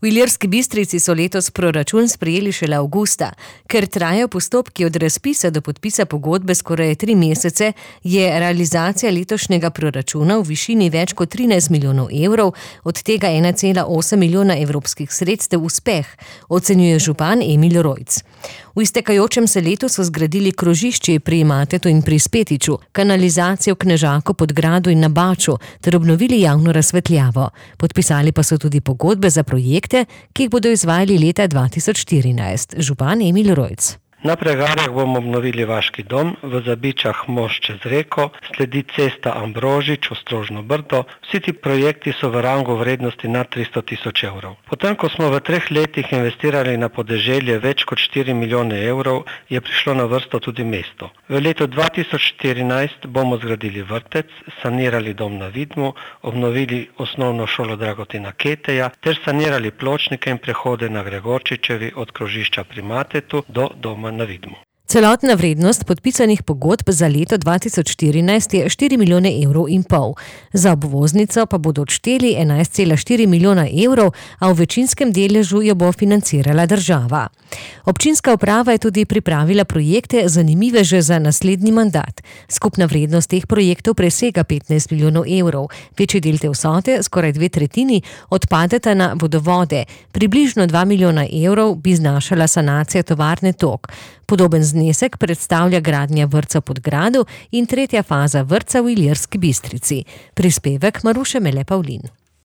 V Ilirski Bistrici so letos proračun sprejeli šele avgusta. Ker trajajo postopki od razpisa do podpisa pogodbe skoraj 3 mesece, je realizacija letošnjega proračuna v višini več kot 13 milijonov evrov, od tega 1,8 milijona evropskih sredstev uspeh, ocenjuje župan Emil Rojc. V iztekajočem se letu so zgradili krožišči pri Matetu in pri Spetiču, kanalizacijo v Knežaku, Podgradu in na Baču ter obnovili javno razsvetljavo. Podpisali pa so tudi pogodbe za projekte, ki jih bodo izvajali leta 2014. Župan Emil Rojc. Na Pregarjah bomo obnovili Vaški dom, v Zabičah most čez reko, sledi cesta Ambrožič, Ostrožno Brdo. Vsi ti projekti so v rangu vrednosti nad 300 tisoč evrov. Potem, ko smo v 3 letih investirali na podeželje več kot 4 milijone evrov, je prišlo na vrsto tudi mesto. V letu 2014 bomo zgradili vrtec, sanirali dom na Vidmu, obnovili osnovno šolo Dragotina Keteja ter sanirali pločnike in prehode na Gregorčičevi od krožišča pri Matetu do doma na Vidmu. Celotna vrednost podpisanih pogodb za leto 2014 je 4 milijone evrov in pol. Za obvoznico pa bodo odšteli 11,4 milijona evrov, a v večinskem deležu jo bo financirala država. Občinska uprava je tudi pripravila projekte zanimive že za naslednji mandat. Skupna vrednost teh projektov presega 15 milijonov evrov. Večji del te vsote, skoraj 2/3, odpadeta na vodovode. Približno 2 milijona evrov bi znašala sanacija tovarne Tok. Podoben znesek predstavlja gradnja vrtca v Podgradu in 3. faza vrtca v Ilirski Bistrici. Prispevek Maruše Mele Pavlin.